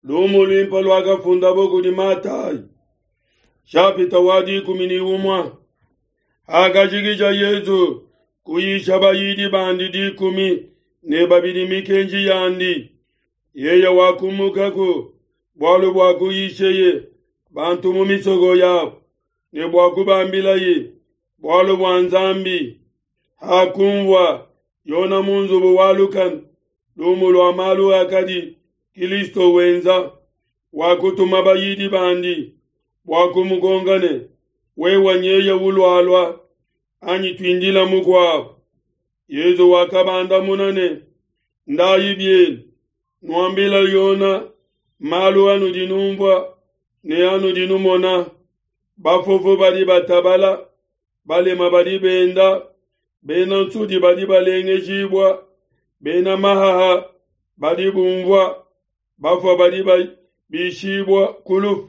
Lumu luimpe luakafundabo kudi Matayi, shapita wa 11. Hakajikija Yezu kuyisha bayidi bandi 12 mikenji yandi, yeye wakumukaku bualu bua kuyisheye bantu mu misoko yabo ne bua kubambilaye bualu bua Nzambi. Hakumvua Yona mu nzubu wa lukanu lumu lua malu akadi Kilisto wenza, wakutuma bayidi bandi bua kumukonka ne, wewe nyeye ulualua anyi tuindila mukuabo? Yezu wakabandamuna ne, ndayi bienu, nuambila Yona malu anudi numvua ne anudi numona. Bafofo badi batabala, balema badi benda, bena nsudi badi balengejibua, bena mahaha badi bumvua, bafua badi bishibua ku lufu,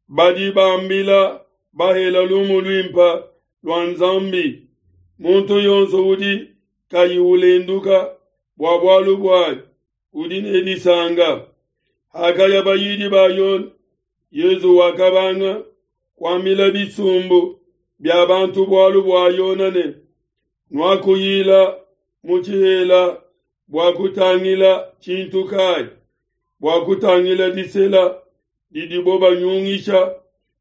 badi bambila bahela lumu luimpe lua Nzambi. Muntu yonso udi kayi ulenduka bua bualu buanyi udi ne disanka. Hakaya bayidi ba Yona, Yezu wakabanga kuambila bisumbu bia bantu bualu bua Yona ne, nuakuyila mu tshihela bua kutangila tshintu kayi? Bua kutangila disela didibo banyungisha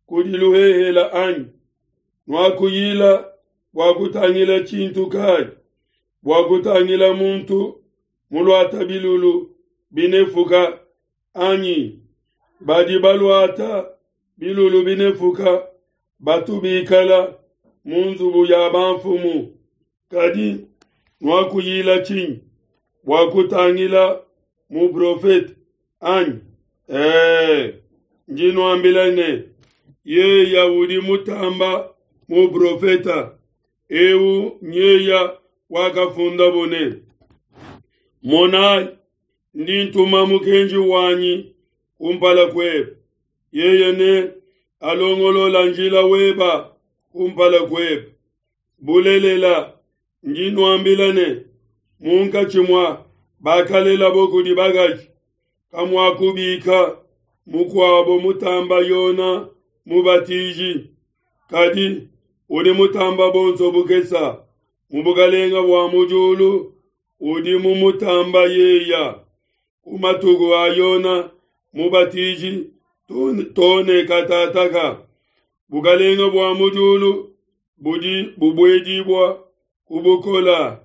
kudi luhehela anyi? Nuakuyila bua kutangila tshintu kayi? Bua kutangila muntu muluata bilulu binefuka anyi? Badi baluata bilulu binefuka batu bikala mu nzubu ya bamfumu. Kadi nuakuyila tshinyi? Bua kutangila muprofete anyi? Ndi nuambila ne, yeya udi mutamba muprofeta. Eu nyeya wakafundabo ne, monayi, ndi ntuma mukenji wanyi kumpala kuebe, yeye ne alongolola njila weba kumpala kuebe. Bulelela, ndi nuambila ne, munkatshi mua bakalelabo kudi bakaji kamuakubika mukuabo mutamba Yona Mubatiji. Kadi udi mutamba bonso bukesa mu bukalenga bua mu diulu udi mumutamba yeya. Ku matuku a Yona Mubatiji tone katataka, bukalenga bua mu diulu budi bubuedibua ku bukola,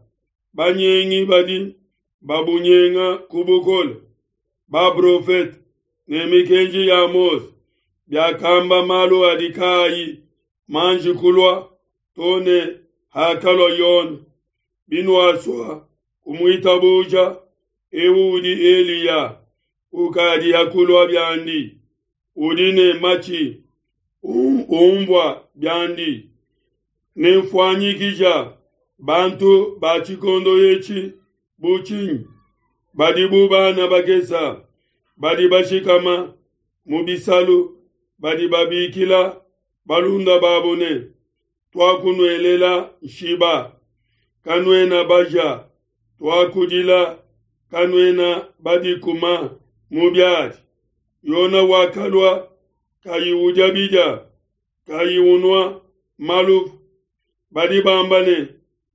banyengi badi babunyenga ku bukola. Baprofete ne mikenji ya Mose biakamba malu adi kaayi manji kulua tone hakalua Yona. Binuasua kumuitabuja, eu udi Eliya ukadi hakulua biandi, udi ne matshi umvua biandi. Nemfuanyikija bantu ba tshikondo etshi bu tshinyi? Badi bu bana bakesa, badi bashikama mu bisalu, badi babikila balunda babo ne, tuakunuelela nshiba, kanuena baja, tuakudila, kanuena badikuma mu biadi. Yona wakalua kayi udia bidia, kayi unua maluvu. Badi bamba ne,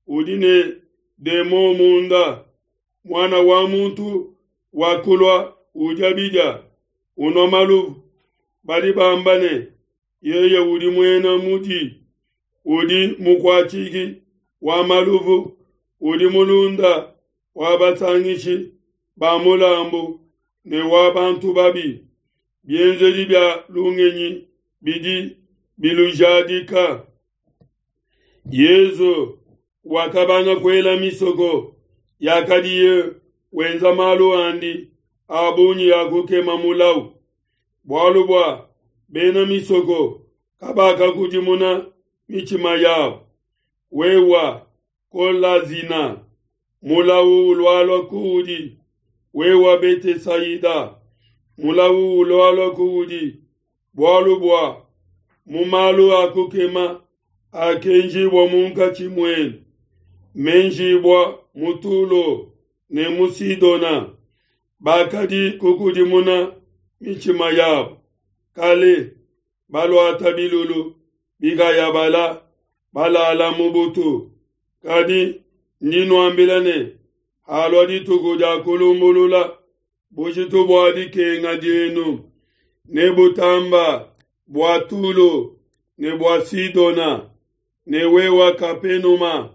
udi ne demon munda. Mwana wa muntu wakulua udia bidia, unua maluvu. Badi bamba ne, yeye udi muena mudi, udi mukuatshiki wa maluvu, udi mulunda wa basangishi ba mulambu ne wa bantu babi. Bienzedi bia lungenyi bidi bilujadika. Yezu wakabanga kuela misoko yakadiye wenza malu andi a bungi ya kukema mulau, bualu bua bena misoko kabakakudimuna mitshima yabo. Wewa Kolazina, mulau ulualua kuudi. Wewa Betesaida, mulau ulualua kuudi, bualu bua mu malu a kukema akenjibua munkatshi muenu, menjibua mu Tulo ne mu Sidona, bakadi kukudimuna mitshima yabo kale, baluata bilulu bikayabala, balala mu butu. Kadi ndi nuambila ne, halua dituku dia kulumbulula, bujitu bua dikenga dienu nebutamba bua Tulo ne bua Sidona. Ne wewa Kapenuma,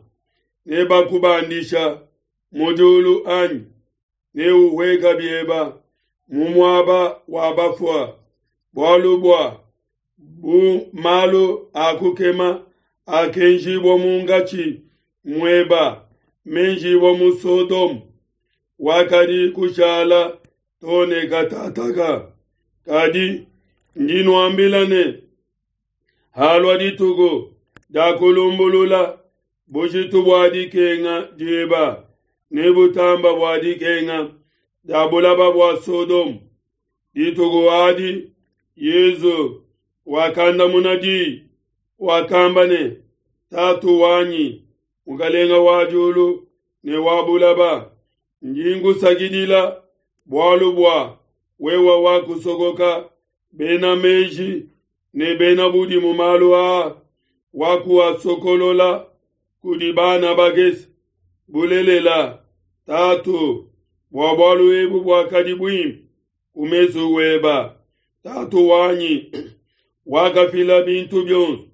nebakubandisha mu diulu anyi? Neuhueka bieba mu muaba wa bafua. Bualu bua bu malu a kukema akenjibua munkatshi mueba, menjibua mu Sodome, wakadi kushala to ne katataka. Kadi ndi nuambila ne, halua dituku dia kulumbulula, bujitu bua dikenga dieba nebutamba bua dikenga dia bulaba bua Sodome. Dituku adi Yezu wakandamuna diyi, wakamba ne, Tatu wanyi, Mukalenga wa diulu ne wa bulaba, ndi nkusakidila bualu bua wewa wakusokoka bena meji ne bena budimu malu aa, wakuasokolola kudi bana bakese. Bulelela, Tatu, bua bualu ebu buakadi buimpe ku mesu weba. Tatu wanyi wakafila bintu bionso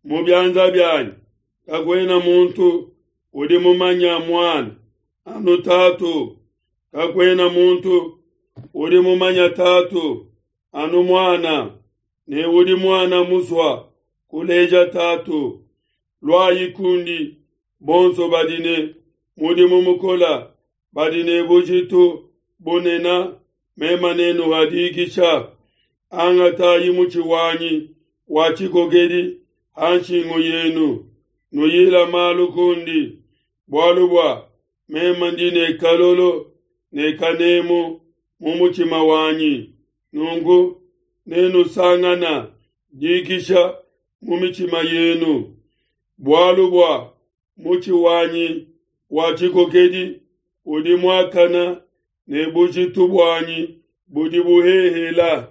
mu bianza bianyi. Kakuena muntu udi mumanya Muana anu Tatu, kakuena muntu udi mumanya Tatu anu Muana, ne udi Muana musua kuleja Tatu. Luayi kundi bonso badi ne mudimu mukola, badi ne bujitu bunena, mema nenuha dikisha. Angatayi mutshi wanyi wa tshikokedi ha nshingu yenu, nuyila malu kundi, bualu bua mema ndi ne kalolo ne kanemu mu mutshima wanyi. Nunku nenusangana dikisha mu mitshima yenu, bualu bua mutshi wanyi wa tshikokedi udi muakana ne bujitu buanyi budi buhehela.